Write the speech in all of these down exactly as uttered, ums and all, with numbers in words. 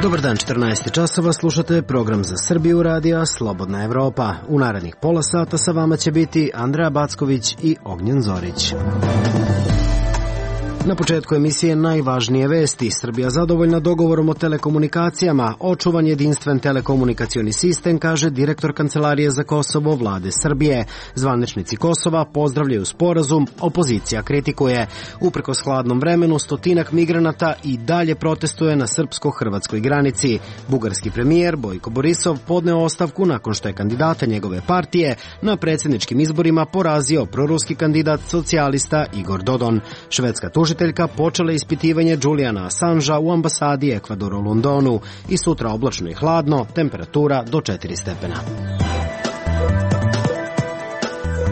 Dobar dan, četrnaest časova, slušate program za Srbiju radija Slobodna Evropa. U narednih pola sata sa vama će biti Andreja Backović i Ognjen Zorić. Na početku emisije najvažnije vesti. Srbija zadovoljna dogovorom o telekomunikacijama. Očuvan jedinstven telekomunikacioni sistem, kaže direktor Kancelarije za Kosovo vlade Srbije. Zvaničnici Kosova pozdravljaju sporazum, opozicija kritikuje. Uprkos hladnom vremenu, stotinak migranata i dalje protestuje na srpsko-hrvatskoj granici. Bugarski premijer Bojko Borisov podneo ostavku nakon što je kandidata njegove partije na predsjedničkim izborima porazio proruski kandidat socijalista Igor Dodon. Švedska tužiteljka počela ispitivanje Juliana Assangea u ambasadi Ekvadora u Londonu i sutra oblačno i hladno, temperatura do četiri stepena.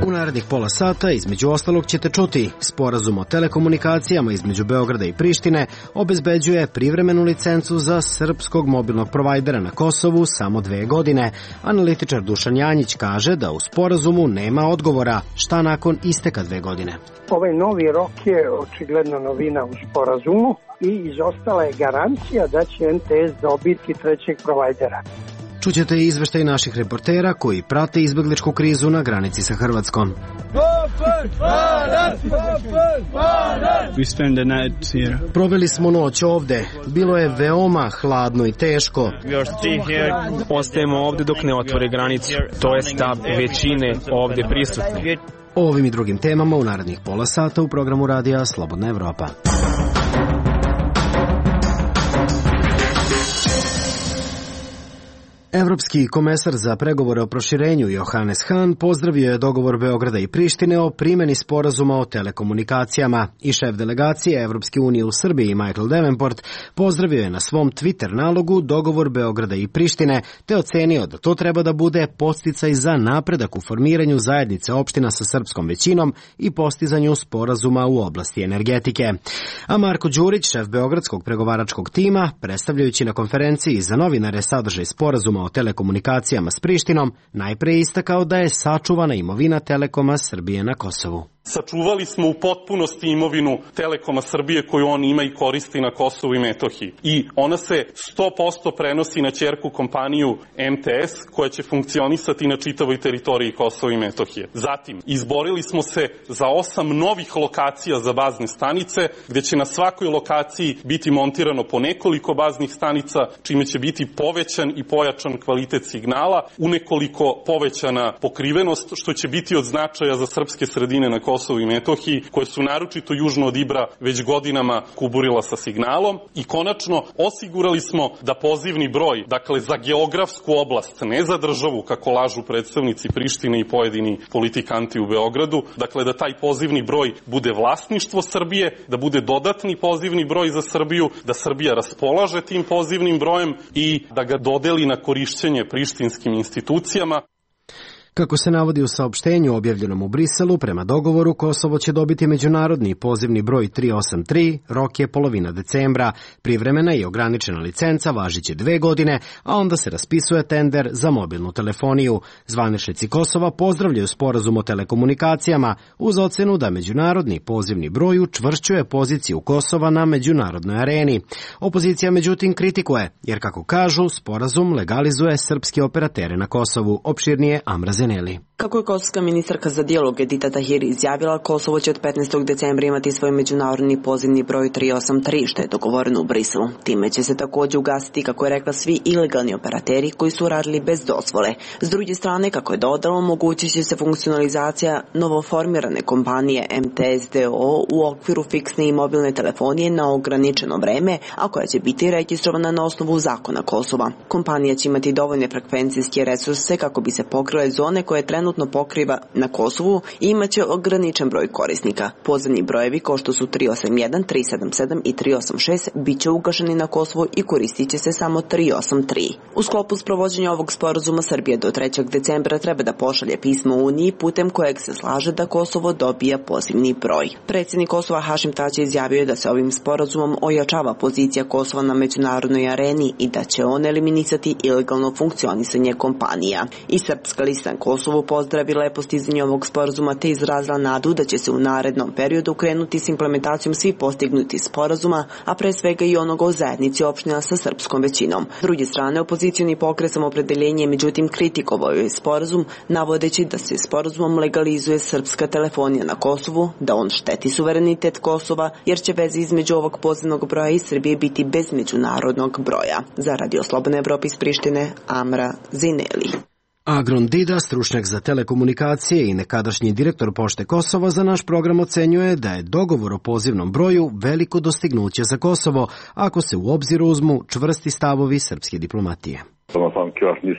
U narednih pola sata, između ostalog, ćete čuti sporazum o telekomunikacijama između Beograda i Prištine obezbeđuje privremenu licencu za srpskog mobilnog provajdera na Kosovu samo dve godine. Analitičar Dušan Janjić kaže da u sporazumu nema odgovora šta nakon isteka dve godine. Ovaj novi rok je očigledno novina u sporazumu i izostala je garancija da će M T S dobiti trećeg provajdera. Čućete i izveštaj naših reportera koji prate izbegličku krizu na granici sa Hrvatskom. Proveli smo noć ovde. Bilo je veoma hladno i teško. Ostajemo ovde dok ne otvore granicu. To je stav većine ovde prisutne. O ovim i drugim temama u narednih pola sata u programu radija Slobodna Evropa. Evropski komesar za pregovore o proširenju Johannes Hahn pozdravio je dogovor Beograda i Prištine o primjeni sporazuma o telekomunikacijama i šef delegacije Evropske unije u Srbiji Michael Davenport pozdravio je na svom Twitter nalogu dogovor Beograda i Prištine te ocenio da to treba da bude podsticaj za napredak u formiranju zajednice opština sa srpskom većinom i postizanju sporazuma u oblasti energetike. A Marko Đurić, šef beogradskog pregovaračkog tima, predstavljajući na konferenciji za novinare sadržaj sporazuma o telekomunikacijama s Prištinom, najpre istakao da je sačuvana imovina Telekoma Srbije na Kosovu. Sačuvali smo u potpunosti imovinu Telekoma Srbije koju on ima i koristi na Kosovu i Metohiji. I ona se sto posto prenosi na ćerku kompaniju M T S koja će funkcionisati na čitavoj teritoriji Kosova i Metohije. Zatim, izborili smo se za osam novih lokacija za bazne stanice, gde će na svakoj lokaciji biti montirano po nekoliko baznih stanica, čime će biti povećan i pojačan kvalitet signala, unekoliko povećana pokrivenost, što će biti od značaja za srpske sredine na Kosovu Kosovu i Metohiji, koje su naročito južno od Ibra već godinama kuburila sa signalom. I konačno, osigurali smo da pozivni broj, dakle za geografsku oblast, ne za državu, kako lažu predstavnici Prištine i pojedini politikanti u Beogradu, dakle da taj pozivni broj bude vlasništvo Srbije, da bude dodatni pozivni broj za Srbiju, da Srbija raspolaže tim pozivnim brojem i da ga dodeli na korišćenje prištinskim institucijama. Kako se navodi u saopštenju objavljenom u Briselu, prema dogovoru Kosovo će dobiti međunarodni pozivni broj tri osam tri, rok je polovina decembra, privremena i ograničena licenca važiće dve godine, a onda se raspisuje tender za mobilnu telefoniju. Zvaničnici Kosova pozdravljaju sporazum o telekomunikacijama uz ocenu da međunarodni pozivni broj učvršćuje poziciju Kosova na međunarodnoj areni. Opozicija međutim kritikuje, jer kako kažu, sporazum legalizuje srpske operatere na Kosovu, opširnije Amra Zeneli. Kako je kosovska ministarka za dijalog Edita Tahiri izjavila, Kosovo će od petnaestog decembra imati svoj međunarodni pozivni broj tri osam tri, što je dogovoreno u Briselu. Time će se također ugasiti, kako je rekla, svi ilegalni operateri koji su radili bez dozvole. S druge strane, kako je dodala, omogućit će se funkcionalizacija novoformirane kompanije M T S D O O u okviru fiksne i mobilne telefonije na ograničeno vreme, a koja će biti registrovana na osnovu zakona Kosova. Kompanija će imati dovoljne frekvencijske resurse kako bi se pokrile zone koje trenutno pokriva na Kosovu i imaće ograničen broj korisnika. Pozivni brojevi kao što su tri osam jedan, tri sedam sedam i tri osam šest bit će ugašeni na Kosovu i koristit će se samo tri osam tri. U sklopu sprovođenja ovog sporazuma Srbija do trećeg decembra treba da pošalje pismo Uniji putem kojeg se slaže da Kosovo dobija pozivni broj. Predsjednik Kosova Hašim Tači izjavio je da se ovim sporazumom ojačava pozicija Kosova na međunarodnoj areni i da će on eliminisati ilegalno funkcionisanje kompanija. I Srpska lista Kosovu pozdravila je postizanje ovog sporazuma te izrazila nadu da će se u narednom periodu krenuti s implementacijom svih postignutih sporazuma, a pre svega i onoga o zajednici opština sa srpskom većinom. S druge strane, opozicioni pokret Samoopredeljenje međutim kritikovao je sporazum, navodeći da se sporazumom legalizuje srpska telefonija na Kosovu, da on šteti suverenitet Kosova, jer će veze između ovog pozivnog broja i Srbije biti bez međunarodnog broja. Za Radio Slobodna Evropa iz Prištine, Amra Zineli. Agron Dida, stručnjak za telekomunikacije i nekadašnji direktor Pošte Kosova, za naš program ocenjuje da je dogovor o pozivnom broju veliko dostignuće za Kosovo, ako se u obzir uzmu čvrsti stavovi srpske diplomatije.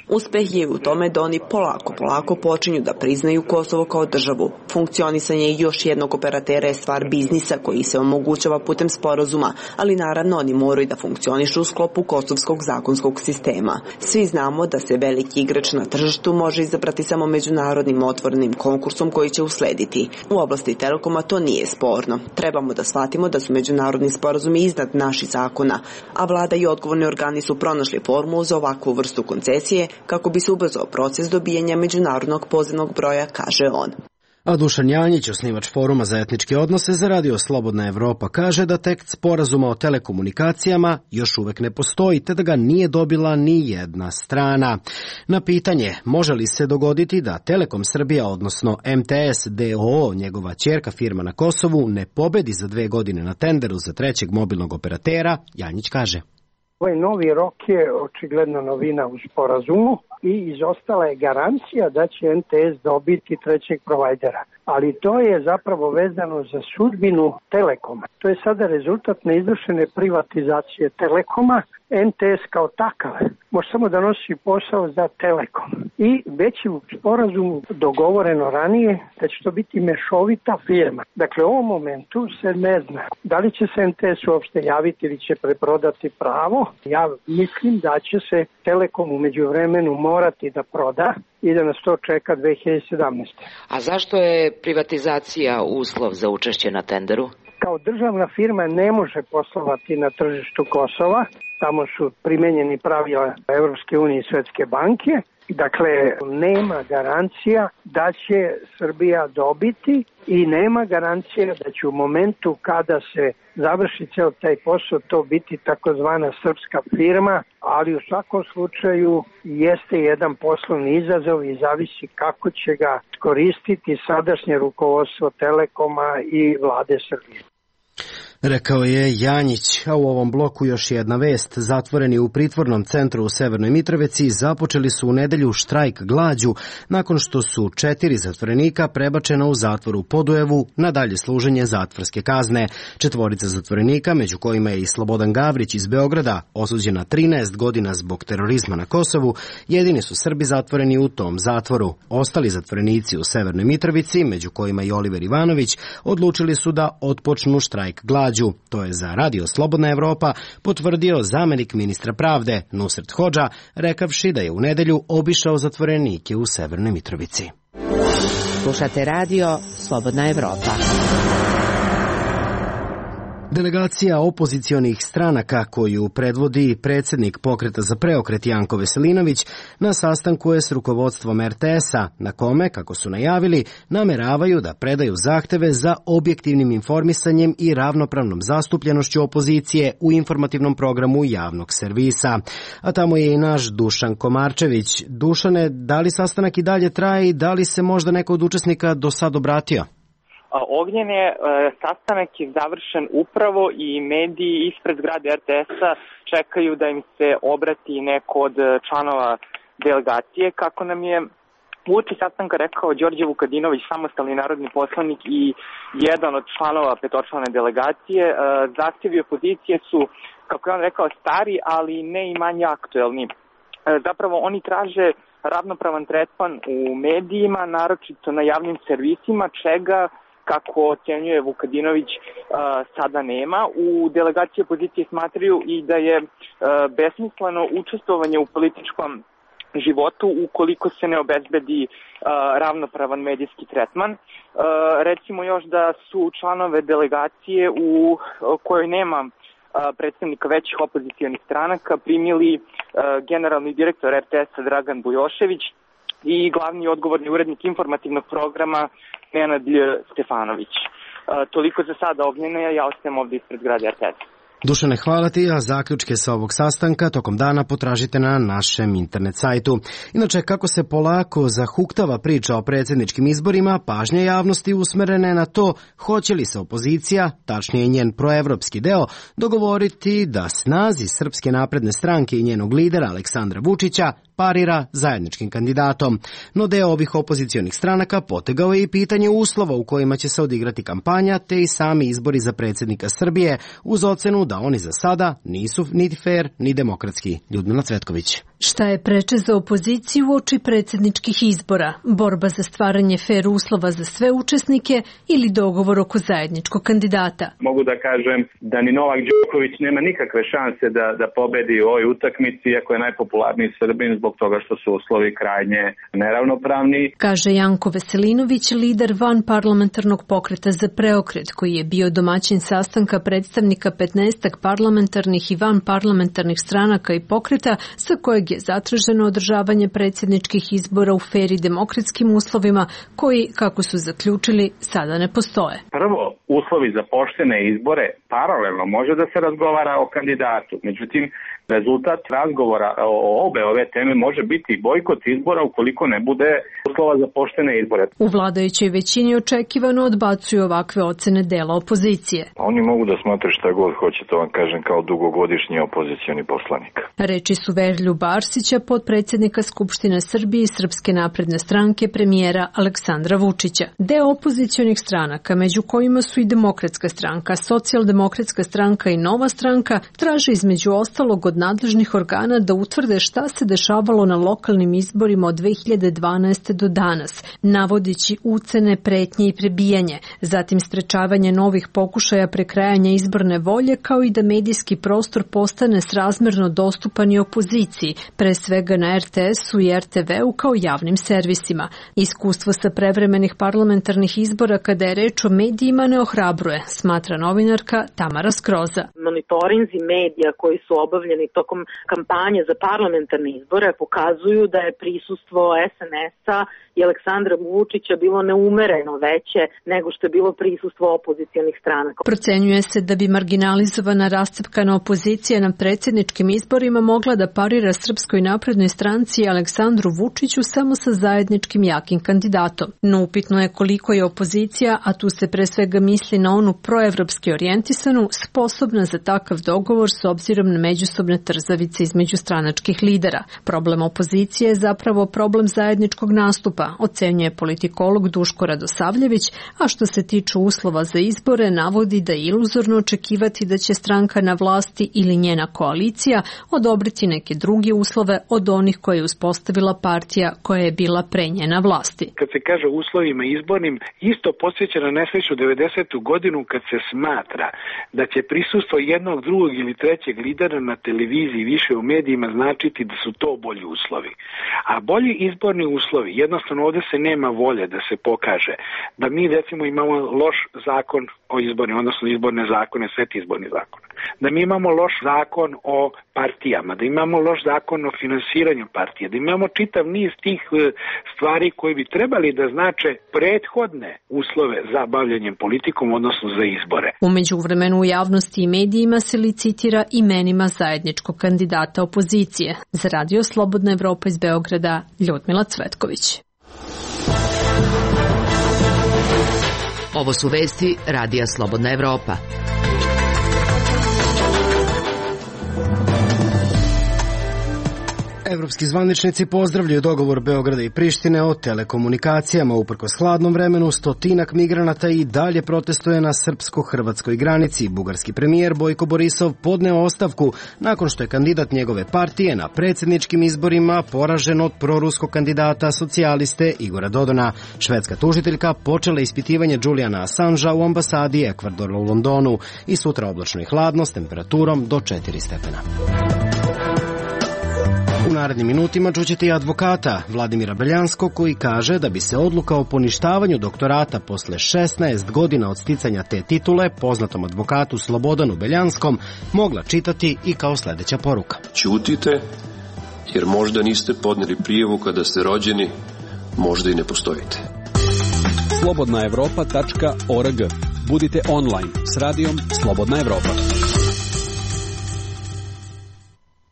Uspeh je u tome da oni polako, polako počinju da priznaju Kosovo kao državu. Funkcionisanje još jednog operatera je stvar biznisa koji se omogućava putem sporazuma, ali naravno oni moraju da funkcionišu u sklopu kosovskog zakonskog sistema. Svi znamo da se veliki igrač na tržištu može izabrati samo međunarodnim otvorenim konkursom koji će uslediti. U oblasti Telekoma to nije sporno. Trebamo da shvatimo da su međunarodni sporazumi iznad naših zakona, a vlada i odgovorni organi su pronašli formulu za ovakvu vrstu koncesije kako bi se ubrzao proces dobijanja međunarodnog pozivnog broja, kaže on. A Dušan Janjić, osnivač Foruma za etničke odnose za Radio Slobodna Evropa, kaže da tekst sporazuma o telekomunikacijama još uvek ne postoji, te da ga nije dobila ni jedna strana. Na pitanje može li se dogoditi da Telekom Srbija, odnosno M T S D O O, njegova ćerka firma na Kosovu, ne pobedi za dve godine na tenderu za trećeg mobilnog operatera, Janjić kaže: Ovaj novi rok je očigledno novina u sporazumu i izostala je garancija da će M T S dobiti trećeg provajdera. Ali to je zapravo vezano za sudbinu Telekoma. To je sada rezultat neizvršene privatizacije Telekoma. M T S kao takav može samo da nosi posao za Telekom. I već je u sporazumu dogovoreno ranije da će to biti mešovita firma. Dakle, u ovom momentu se ne zna da li će se M T S uopšte javiti ili će preprodati pravo. Ja mislim da će se Telekom u međuvremenu morati da proda i da nas to čeka dve hiljade sedamnaeste. A zašto je privatizacija uslov za učešće na tenderu? Kao državna firma ne može poslovati na tržištu Kosova. Tamo su primenjeni pravila Evropske unije i Svetske banke. Dakle, nema garancija da će Srbija dobiti i nema garancija da će u momentu kada se završi ceo taj posao to biti takozvana srpska firma, ali u svakom slučaju jeste jedan poslovni izazov i zavisi kako će ga koristiti sadašnje rukovodstvo Telekoma i vlade Srbije. Rekao je Janjić, a u ovom bloku još jedna vest. Zatvoreni u pritvornom centru u Severnoj Mitrovici započeli su u nedelju štrajk glađu nakon što su četiri zatvorenika prebačena u zatvor u Podujevu na dalje služenje zatvorske kazne. Četvorica zatvorenika, među kojima je i Slobodan Gavrić iz Beograda, osuđena trinaest godina zbog terorizma na Kosovu, jedini su Srbi zatvoreni u tom zatvoru. Ostali zatvorenici u Severnoj Mitrovici, među kojima i Oliver Ivanović, odlučili su da otpočnu štrajk glađu. To je za Radio Slobodna Evropa potvrdio zamenik ministra pravde Nusret Hodža, rekavši da je u nedelju obišao zatvorenike u Severnoj Mitrovici. Slušate Radio Slobodna Evropa. Delegacija opozicionih stranaka koju predvodi predsjednik Pokreta za preokret Janko Veselinović na sastanku je s rukovodstvom R T S-a, na kome, kako su najavili, nameravaju da predaju zahteve za objektivnim informisanjem i ravnopravnom zastupljenošću opozicije u informativnom programu javnog servisa. A tamo je i naš Dušan Komarčević. Dušane, da li sastanak i dalje traje i da li se možda neko od učesnika do sad obratio? Ognjen je, sastanak je završen upravo i mediji ispred zgrade R T S-a čekaju da im se obrati neko od članova delegacije. Kako nam je uoči sastanka rekao Đorđe Vukadinović, samostalni narodni poslanik i jedan od članova petočlane delegacije, zahtjevi opozicije su, kako je on rekao, stari, ali ne i manje aktuelni. Zapravo oni traže ravnopravan tretman u medijima, naročito na javnim servisima, čega, kako ocjenjuje Vukadinović, sada nema. U delegaciji opozicije smatraju i da je besmisleno učestvovanje u političkom životu ukoliko se ne obezbedi ravnopravan medijski tretman. Recimo još da su članove delegacije u kojoj nema predstavnika većih opozicionih stranaka primili generalni direktor R T S-a Dragan Bujošević, i glavni odgovorni urednik informativnog programa Nenad Stefanović. Toliko za sada Ognjene, ja ostajem ovdje ispred zgrade R T S. Dušane, hvala ti, a zaključke sa ovog sastanka tokom dana potražite na našem internet sajtu. Inače, kako se polako zahuktava priča o predsjedničkim izborima, pažnja javnosti usmerena je na to hoće li se opozicija, tačnije njen proevropski deo, dogovoriti da snazi Srpske napredne stranke i njenog lidera Aleksandra Vučića parira zajedničkim kandidatom. No deo ovih opozicionih stranaka potegao je i pitanje uslova u kojima će se odigrati kampanja, te i sami izbori za predsjednika Srbije, uz ocenu da oni za sada nisu niti fer ni demokratski. Ljudmila Cvetković. Šta je preče za opoziciju uoči predsjedničkih izbora? Borba za stvaranje fer uslova za sve učesnike ili dogovor oko zajedničkog kandidata? Mogu da kažem da ni Novak Đoković nema nikakve šanse da, da pobedi u ovoj utakmici, iako je najpopularniji Srbin, zbog toga što su uslovi krajnje neravnopravni. Kaže Janko Veselinović, lider van parlamentarnog pokreta za preokret, koji je bio domaćin sastanka predstavnika petnaestak parlamentarnih i van parlamentarnih stranaka i pokreta, sa kojeg je zatraženo održavanje predsjedničkih izbora u fer i demokratskim uslovima koji, kako su zaključili, sada ne postoje. Prvo, uslovi za poštene izbore paralelno može da se razgovara o kandidatu. Međutim, rezultat razgovora o obe ove teme može biti bojkot izbora ukoliko ne bude uslova za poštene izbore. U vladajućoj većini očekivano odbacuju ovakve ocene dela opozicije. Oni mogu da smatraju šta god hoće, to vam kažem kao dugogodišnji opozicioni poslanik. Reči su Veroljuba Arsića, potpredsjednika Skupštine Srbije i Srpske napredne stranke premijera Aleksandra Vučića. Deo opozicionih stranaka, među kojima su i Demokratska stranka, Socijaldemokratska stranka i Nova stranka, traže između ostalog od nadležnih organa da utvrde šta se dešavalo na lokalnim izborima od dve hiljade dvanaeste. do danas, navodeći ucene, pretnje i prebijanje, zatim sprečavanje novih pokušaja prekrajanja izborne volje, kao i da medijski prostor postane srazmerno dostupan i opoziciji, pre svega na R T S-u i R T V-u kao javnim servisima. Iskustvo sa prevremenih parlamentarnih izbora kada je reč o medijima ne ohrabruje, smatra novinarka Tamara Skroza. Monitorinzi medija koji su obavljeni tokom kampanje za parlamentarne izbore pokazuju da je prisustvo S N S-a i Aleksandra Vučića bilo neumereno veće nego što je bilo prisustvo opozicionih stranaka. Procenjuje se da bi marginalizovana rascepkana opozicija na predsjedničkim izborima mogla da parira Srpskoj naprednoj stranci i Aleksandru Vučiću samo sa zajedničkim jakim kandidatom. No upitno je koliko je opozicija, a tu se pre svega misli na onu proevropski orijentisanu, sposobna za takav dogovor s obzirom na međusobne trzavice između stranačkih lidera. Problem opozicije je zapravo problem zajedničkog nastupa, ocenjuje politikolog Duško Radosavljević, a što se tiče uslova za izbore, navodi da je iluzorno očekivati da će stranka na vlasti ili njena koalicija odobriti neke druge uslove od onih koje je uspostavila partija koja je bila pre nje na vlasti. Kad se kaže uslovima izbornim, isto podsjeća na nesreću devedesetu godinu kad se smatra da će prisustvo jednog, drugog ili trećeg lidera na televiziji više u medijima značiti da su to bolji uslovi. A bolji izborni uslovi, jednostavno ovdje se nema volje da se pokaže da mi recimo imamo loš zakon o izbornim, odnosno izborne zakone, set izborni zakon. Da mi imamo loš zakon o partijama, da imamo loš zakon o finansiranju partije, da imamo čitav niz tih stvari koji bi trebali da znače prethodne uslove za bavljenjem politikom, odnosno za izbore. U međuvremenu u javnosti i medijima se licitira imenima zajedničkog kandidata opozicije. Za Radio Slobodna Evropa iz Beograda, Ljudmila Cvetković. Ovo su vesti Radija Slobodna Evropa. Evropski zvaničnici pozdravljaju dogovor Beograda i Prištine o telekomunikacijama. Uprkos hladnom vremenu, stotinak migranata i dalje protestuje na srpsko-hrvatskoj granici. Bugarski premijer Bojko Borisov podneo ostavku nakon što je kandidat njegove partije na predsjedničkim izborima poražen od proruskog kandidata socijaliste Igora Dodona. Švedska tužiteljka počela ispitivanje Juliana Assangea u ambasadi Ekvadora u Londonu i sutra oblačno i hladno s temperaturom do četiri stepena. U narednim minutima čućete i advokata Vladimira Beljanskog koji kaže da bi se odluka o poništavanju doktorata posle šesnaest godina od sticanja te titule poznatom advokatu Slobodanu Beljanskom mogla čitati i kao sljedeća poruka. Ćutite jer možda niste podneli prijavu kada ste rođeni možda i ne postojite. slobodna evropa tačka org. Budite online s radijom Slobodna Evropa.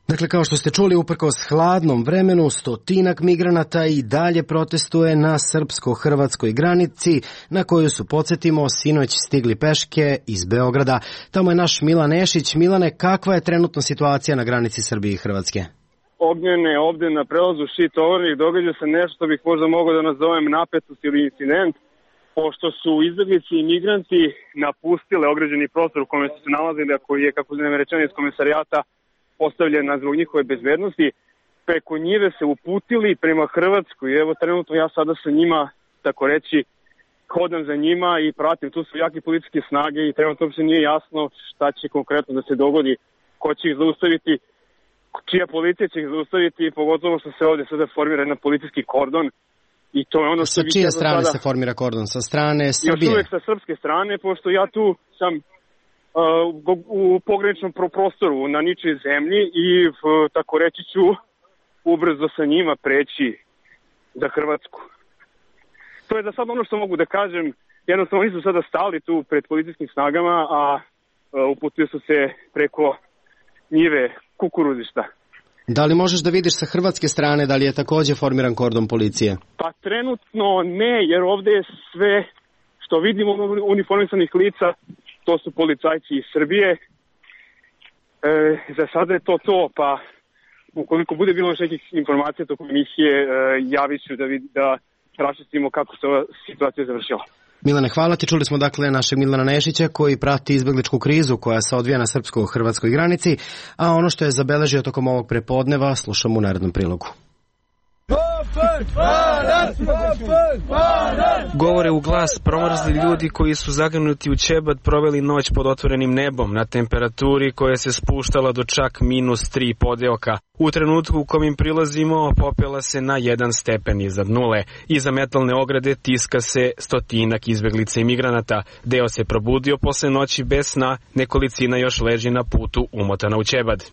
Dakle, kao što ste čuli, uprkos hladnom vremenu, stotinak migranata i dalje protestuje na srpsko-hrvatskoj granici, na koju su, podsjetimo, sinoć stigli peške iz Beograda. Tamo je naš Milan Nešić. Milane, kakva je trenutno situacija na granici Srbije i Hrvatske? Ognjene, ovde na prelazu Šid-Tovornik događa se nešto što bih možda mogao da nazovem napetost ili incident, pošto su izbeglice i migranti napustile ograđeni prostor u kome su se nalazili, a koji je, kako znam rečeno, iz komisarijata postavljena zbog njihove bezbednosti, preko njive se uputili prema Hrvatskoj. Evo, trenutno ja sada sa njima, tako reći, hodam za njima i pratim. Tu su jake političke snage i trenutno uopšte nije jasno šta će konkretno da se dogodi, ko će ih zaustaviti, čija policija će ih zaustaviti, pogotovo što se ovde sada formira jedan policijski kordon. I to je ono što sa čije strane sada se formira kordon? Sa strane Srbije? Još uvek sa srpske strane, pošto ja tu sam u pograničnom prostoru na ničoj zemlji i tako reći ću ubrzo sa njima preći za Hrvatsku. To je za sad ono što mogu da kažem. Jednostavno nisu sada stali tu pred policijskim snagama, a uputili su se preko njive kukuruzišta. Da li možeš da vidiš sa hrvatske strane da li je takođe formiran kordon policije? Pa trenutno ne, jer ovde je sve što vidimo uniformisanih lica, to su policajci iz Srbije. E, za sada je to to, pa ukoliko bude bilo nekih informacija tokom emisije, e, javit ću da, vid, da raščistimo kako se ova situacija završila. Milane, hvala ti. Čuli smo dakle našeg Milana Nešića koji prati izbegličku krizu koja se odvija na srpsko-hrvatskoj granici, a ono što je zabeležio tokom ovog prepodneva slušamo u narednom prilogu. Govore u glas promrzli ljudi koji su zagnuti u ćebad proveli noć pod otvorenim nebom na temperaturi koja se spuštala do čak minus tri podeoka. U trenutku u kom im prilazimo popela se na jedan stepen iznad nule. Iza metalne ograde tiska se stotinak izbeglica i migranata. Deo se probudio posle noći bez sna, nekolicina još leži na putu umotana u ćebad.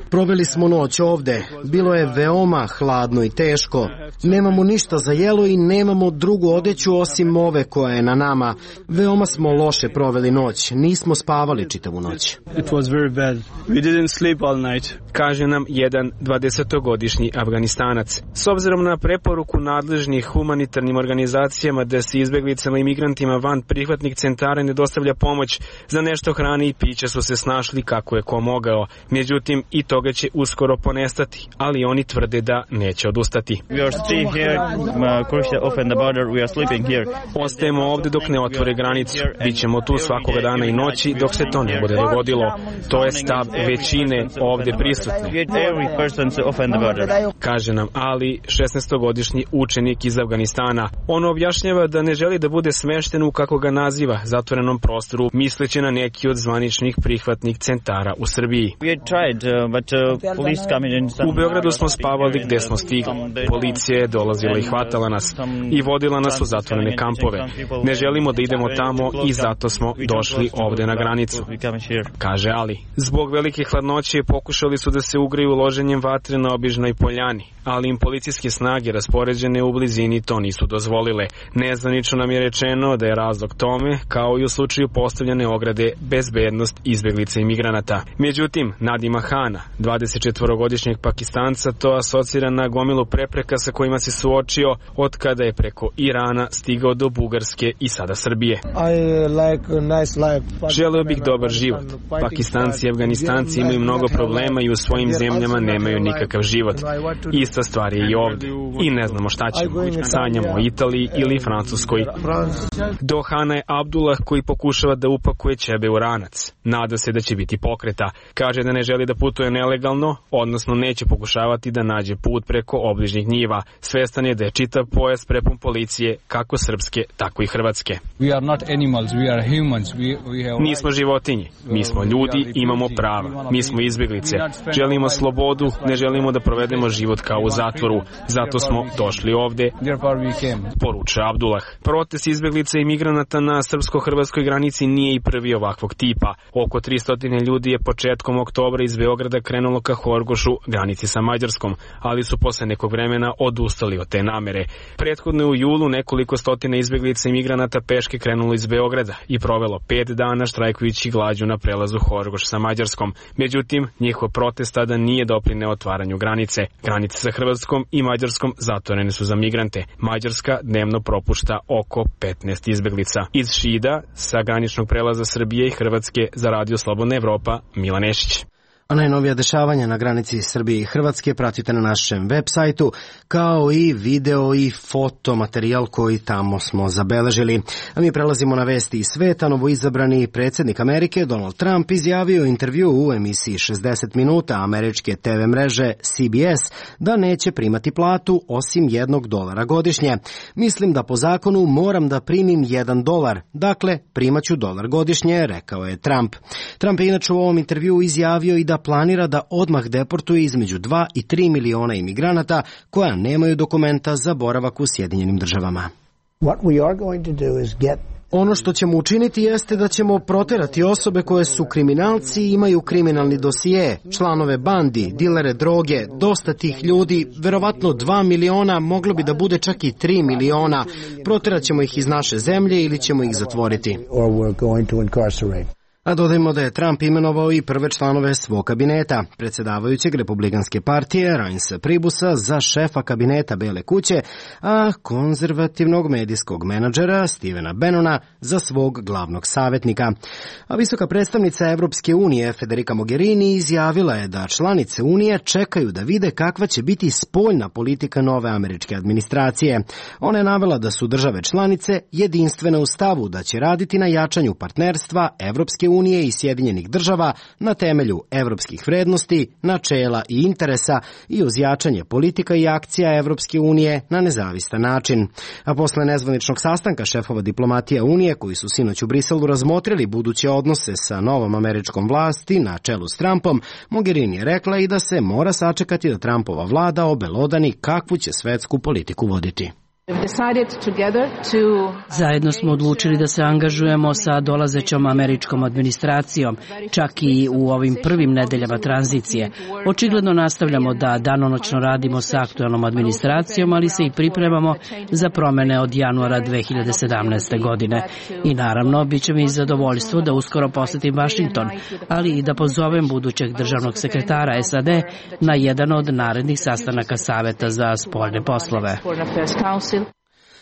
Proveli smo noć ovde. Bilo je veoma hladno i teško. Nemamo ništa za jelo i nemamo drugu odeću osim ove koja je na nama. Veoma smo loše proveli noć. Nismo spavali čitavu noć. It was very bad. We didn't sleep all night. Kaže nam jedan dvadesetogodišnji Afganistanac. S obzirom na preporuku nadležnih humanitarnim organizacijama da se izbeglicama i migrantima van prihvatnih centara ne dostavlja pomoć, za nešto hrane i pića su se snašli kako je ko mogao. Međutim, i toga će uskoro ponestati, ali oni tvrde da neće odustati. Ostajemo ovde dok ne otvore granicu. Bićemo tu svakoga dana i noći dok se to ne bude dogodilo. To je stav većine ovde prisutne. Kaže nam Ali, šesnaestogodišnji učenik iz Afganistana. On objašnjava da ne želi da bude smešten u, kako ga naziva, zatvorenom prostoru, misleći na neki od zvaničnih prihvatnih centara u Srbiji. U Beogradu smo spavali gde smo stigli. Policija je dolazila i hvatala nas i vodila nas u zatvorene kampove. Ne želimo da idemo tamo i zato smo došli ovde na granicu, kaže Ali. Zbog velike hladnoće pokušali su da se ugreju loženjem vatre na obližnoj poljani, ali im policijske snage raspoređene u blizini to nisu dozvolile. Nezvanično nam je rečeno da je razlog tome, kao i u slučaju postavljane ograde, bezbednost izbeglica i migranata. Međutim, Nadima Hana, dvadesetčetvorogodišnjeg Pakistanca, to asocira na gomilu prepreka sa kojima se suočio od kada je preko Irana stigao do Bugarske i sada Srbije. Želeo bih dobar život. Pakistanci i Afganistanci imaju mnogo problema i u svojim zemljama nemaju nikakav život. Ista stvar je i ovde. I ne znamo šta ćemo. Sanjamo o Italiji ili Francuskoj. Do Hana je Abdullah koji pokušava da upakuje ćebe u ranac. Nada se da će biti pokreta. Kaže da ne želi da putuje nelegalno, odnosno neće pokušavati da nađe put preko obližnjih njiva. Svestan je da je čitav pojas prepun policije, kako srpske, tako i hrvatske. We are not animals, we are humans. We, we have... Nismo životinje, mi smo ljudi, imamo prava. Mi smo izbjeglice. Želimo slobodu, ne želimo da provedemo život kao u zatvoru. Zato smo došli ovde, poručuje Abdullah. Protest izbjeglica i migranata na srpsko-hrvatskoj granici nije i prvi ovakvog tipa. Oko tristo ljudi je početkom oktobra iz Beograda krenulo ka Horgošu, granici sa Mađarskom, ali su posle nekog vremena odustali od te namere. Prethodno u julu nekoliko stotina izbjeglica i migranata peške krenulo iz Beograda i provelo pet dana štrajkujući glađu na prelazu Horgoš sa Mađarskom. Međutim, njihov protest tada nije doprineo otvaranju granice. Granice sa Hrvatskom i Mađarskom zatvorene su za migrante. Mađarska dnevno propušta oko petnaest izbjeglica. Iz Šida, sa graničnog prelaza Srbije i Hrvatske, za Radio Slobodna Evropa, Milan Nešić. A najnovija dešavanja na granici Srbije i Hrvatske pratite na našem web sajtu, kao i video i fotomaterijal koji tamo smo zabeležili. A mi prelazimo na vesti iz sveta. Novoizabrani predsjednik Amerike Donald Trump izjavio intervju u emisiji šezdeset minuta američke te ve mreže C B S da neće primati platu osim jednog dolara godišnje. Mislim da po zakonu moram da primim jedan dolar, dakle primaću dolar godišnje, rekao je Trump. Trump je inače u ovom intervju izjavio i da planira da odmah deportuje između dva i tri miliona imigranata koja nemaju dokumenta za boravak u Sjedinjenim državama. Ono što ćemo učiniti jeste da ćemo proterati osobe koje su kriminalci i imaju kriminalni dosije, članove bandi, dilere droge, dosta tih ljudi, verovatno dva miliona, moglo bi da bude čak i tri miliona. Proterat ćemo ih iz naše zemlje ili ćemo ih zatvoriti. A dodajmo da je Trump imenovao i prve članove svog kabineta, predsjedavajućeg Republikanske partije Reinsa Pribusa za šefa kabineta Bele kuće, a konzervativnog medijskog menadžera Stevena Bannona za svog glavnog savjetnika. A visoka predstavnica Evropske unije Federica Mogherini izjavila je da članice Unije čekaju da vide kakva će biti spoljna politika nove američke administracije. Ona je navela da su države članice jedinstvene u stavu da će raditi na jačanju partnerstva Evropske unije i Sjedinjenih država na temelju evropskih vrednosti, načela i interesa i uz jačanje politika i akcija Evropske unije na nezavistan način. A posle nezvaničnog sastanka šefova diplomatija Unije koji su sinoć u Briselu razmotrili buduće odnose sa novom američkom vlasti na čelu s Trumpom, Mogherini je rekla i da se mora sačekati da Trumpova vlada obelodani kakvu će svetsku politiku voditi. Zajedno smo odlučili da se angažujemo sa dolazećom američkom administracijom, čak i u ovim prvim nedeljama tranzicije. Očigledno nastavljamo da danonoćno radimo sa aktualnom administracijom, ali se i pripremamo za promene od januara dve hiljade sedamnaeste. godine. I naravno, bit će mi zadovoljstvo da uskoro posetim Vašington, ali i da pozovem budućeg državnog sekretara S A D na jedan od narednih sastanaka Saveta za spoljne poslove.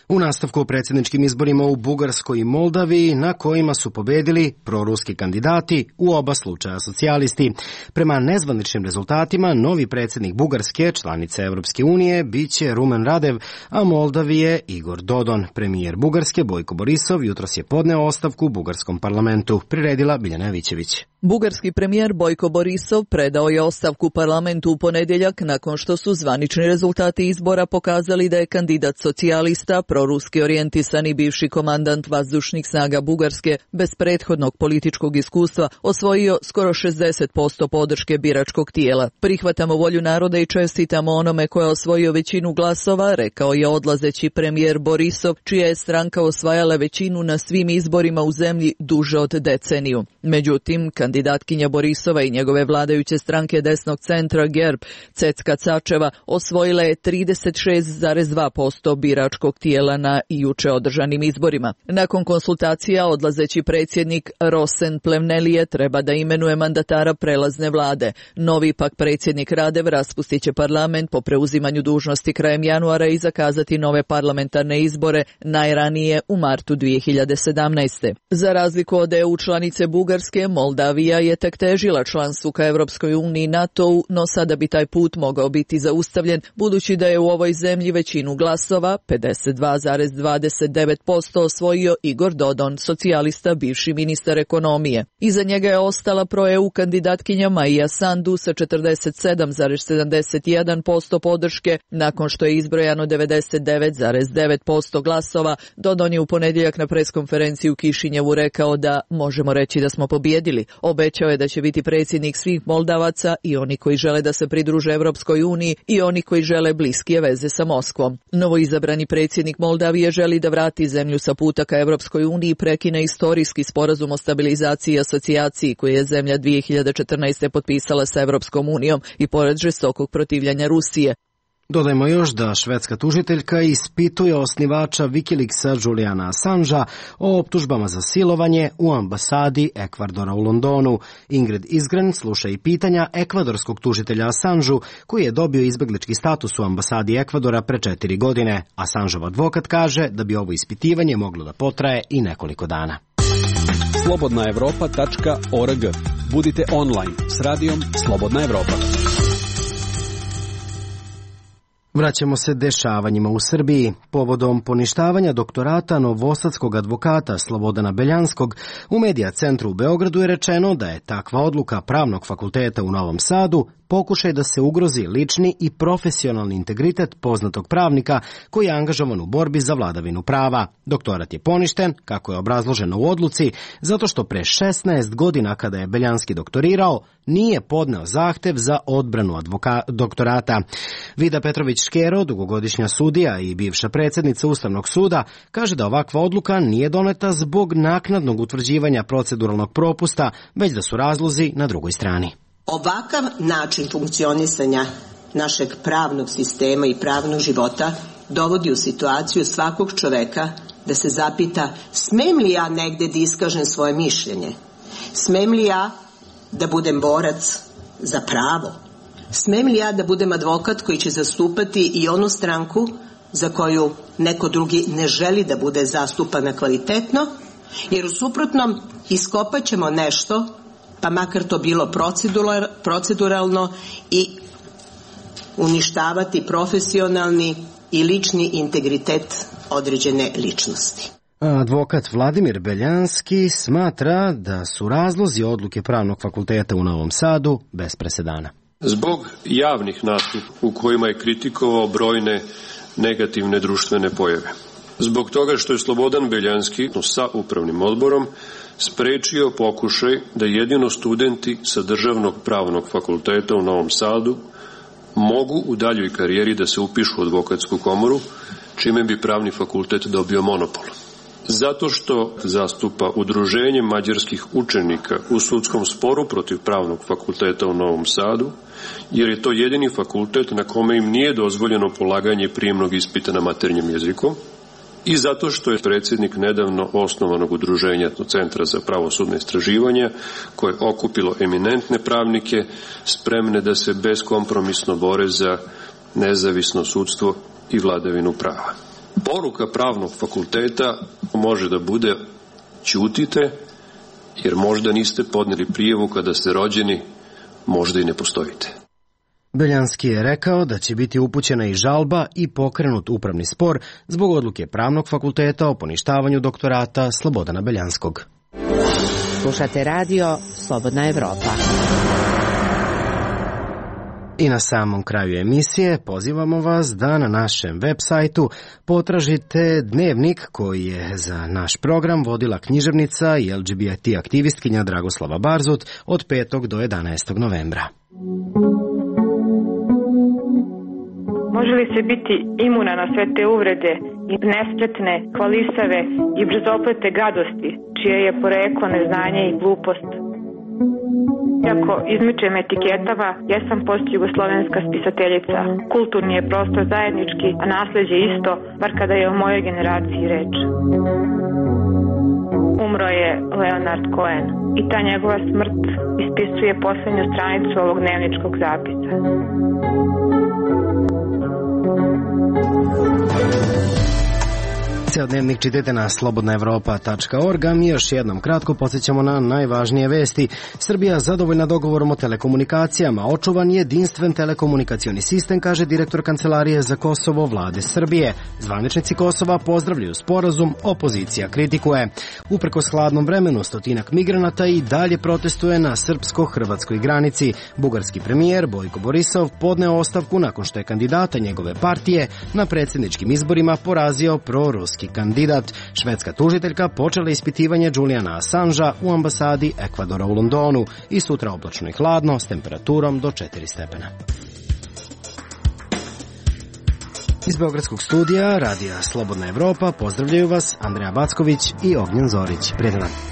U nastavku o predsjedničkim izborima u Bugarskoj i Moldaviji, na kojima su pobedili proruski kandidati, u oba slučaja socijalisti. Prema nezvaničnim rezultatima, novi predsjednik Bugarske, članice Evropske unije, bit će Rumen Radev, a Moldavije Igor Dodon. Premijer Bugarske, Bojko Borisov, jutros je podneo ostavku u bugarskom parlamentu, priredila Biljana Vićević. Bugarski premijer Bojko Borisov predao je ostavku parlamentu u ponedjeljak nakon što su zvanični rezultati izbora pokazali da je kandidat socijalista, proruski orijentisani bivši komandant vazdušnih snaga Bugarske bez prethodnog političkog iskustva osvojio skoro šezdeset posto podrške biračkog tijela. Prihvatamo volju naroda i čestitamo onome ko je osvojio većinu glasova, rekao je odlazeći premijer Borisov, čija je stranka osvajala većinu na svim izborima u zemlji duže od deceniju. Međutim, kandidatkinja Borisova i njegove vladajuće stranke desnog centra G E R B, Cecka Cačeva, osvojila je trideset šest zarez dva posto biračkog tijela na juče održanim izborima. Nakon konsultacija odlazeći predsjednik Rosen Plevnelije treba da imenuje mandatara prelazne vlade. Novi pak predsjednik Radev raspustit će parlament po preuzimanju dužnosti krajem januara i zakazati nove parlamentarne izbore najranije u martu dvije hiljade sedamnaeste. Za razliku od E U članice Bugarske, Moldavija je tek težila članstvu ka Evropskoj uniji i NATO-u, no sada bi taj put mogao biti zaustavljen budući da je u ovoj zemlji većinu glasova, pedeset dva dva zarez dvadeset devet posto osvojio Igor Dodon, socijalista, bivši ministar ekonomije. Iza njega je ostala pro-E U kandidatkinja Maja Sandu sa četrdeset sedam zarez sedamdeset jedan posto podrške. Nakon što je izbrojano devedeset devet zarez devet posto glasova, Dodon je u ponedjeljak na preskonferenciji u Kišinjevu rekao da možemo reći da smo pobjedili. Obećao je da će biti predsjednik svih Moldavaca, i oni koji žele da se pridruže Evropskoj uniji i oni koji žele bliskije veze sa Moskvom. Novoizabrani predsjednik Moldavije želi da vrati zemlju sa puta ka Evropskoj uniji i prekine istorijski sporazum o stabilizaciji i asocijaciji koji je zemlja dvije hiljade četrnaeste. potpisala sa Evropskom unijom i pored žestokog protivljanja Rusije. Dodajmo još da švedska tužiteljka ispituje osnivača Wikileaksa Juliana Assangea o optužbama za silovanje u ambasadi Ekvadora u Londonu. Ingrid Isgren sluša i pitanja ekvadorskog tužitelja Assangeu, koji je dobio izbeglički status u ambasadi Ekvadora pre četiri godine. Assangeov advokat kaže da bi ovo ispitivanje moglo da potraje i nekoliko dana. slobodna evropa tačka org. Budite online s radijom Slobodna Evropa. Vraćamo se dešavanjima u Srbiji. Povodom poništavanja doktorata novosadskog advokata Slobodana Beljanskog u Medija centru u Beogradu je rečeno da je takva odluka Pravnog fakulteta u Novom Sadu pokušaj da se ugrozi lični i profesionalni integritet poznatog pravnika koji je angažovan u borbi za vladavinu prava. Doktorat je poništen, kako je obrazloženo u odluci, zato što pre šesnaest godina kada je Beljanski doktorirao, nije podneo zahtev za odbranu advoka- doktorata. Vida Petrović-Škero, dugogodišnja sudija i bivša predsjednica Ustavnog suda, kaže da ovakva odluka nije doneta zbog naknadnog utvrđivanja proceduralnog propusta, već da su razlozi na drugoj strani. Ovakav način funkcionisanja našeg pravnog sistema i pravnog života dovodi u situaciju svakog čoveka da se zapita: smem li ja negde da iskažem svoje mišljenje? Smem li ja da budem borac za pravo? Smem li ja da budem advokat koji će zastupati i onu stranku za koju neko drugi ne želi da bude zastupana kvalitetno? Jer u suprotnom iskopat ćemo nešto, pa makar to bilo proceduralno, i uništavati profesionalni i lični integritet određene ličnosti. Advokat Vladimir Beljanski smatra da su razlozi odluke Pravnog fakulteta u Novom Sadu bez presedana. Zbog javnih nastupa u kojima je kritikovao brojne negativne društvene pojave. Zbog toga što je Slobodan Beljanski sa upravnim odborom sprečio pokušaj da jedino studenti sa Državnog pravnog fakulteta u Novom Sadu mogu u daljoj karijeri da se upišu u advokatsku komoru, čime bi pravni fakultet dobio monopol. Zato što zastupa udruženje mađarskih učenika u sudskom sporu protiv Pravnog fakulteta u Novom Sadu, jer je to jedini fakultet na kome im nije dozvoljeno polaganje prijemnog ispita na maternjem jeziku, i zato što je predsjednik nedavno osnovanog udruženja Centra za pravosudne istraživanja, koje je okupilo eminentne pravnike spremne da se beskompromisno bore za nezavisno sudstvo i vladavinu prava. Poruka Pravnog fakulteta može da bude: ćutite, jer možda niste podnijeli prijavu kada ste rođeni, možda i ne postojite. Beljanski je rekao da će biti upućena i žalba i pokrenut upravni spor zbog odluke Pravnog fakulteta o poništavanju doktorata Slobodana Beljanskog. Slušate radio Slobodna Evropa. I na samom kraju emisije pozivamo vas da na našem web sajtu potražite dnevnik koji je za naš program vodila književnica i L G B T aktivistkinja Dragoslava Barzut od petog do jedanaestog novembra. Može li se biti imuna na sve te uvrede i nespretne, hvalisave i brzoplete gadosti, čije je poreklo neznanje i glupost? Iako izmičem etiketama, jesam postjugoslovenska spisateljica. Kulturni je prostor zajednički, a nasleđe isto, bar kada je o mojoj generaciji reč. Umro je Leonard Cohen i ta njegova smrt ispisuje poslednju stranicu ovog dnevničkog zapisa. Ceo dnevnik čitajte na slobodna evropa tačka org, a mi još jednom kratko podsjećamo na najvažnije vesti. Srbija zadovoljna dogovorom o telekomunikacijama, očuvan jedinstven telekomunikacioni sistem, kaže direktor Kancelarije za Kosovo vlade Srbije. Zvaničnici Kosova pozdravljaju sporazum, opozicija kritikuje. Uprkos hladnom vremenu, stotinak migranata i dalje protestuje na srpsko-hrvatskoj granici. Bugarski premijer Bojko Borisov podneo ostavku nakon što je kandidata njegove partije na predsjedničkim izborima porazio proruski kandidat. Švedska tužiteljka počela ispitivanje Juliana Assangea u ambasadi Ekvadora u Londonu i sutra oblačno i hladno s temperaturom do četiri stepena. Iz Beogradskog studija Radija Slobodna Evropa pozdravljaju vas Andreja Backović i Ognjen Zorić. Prijetan dan.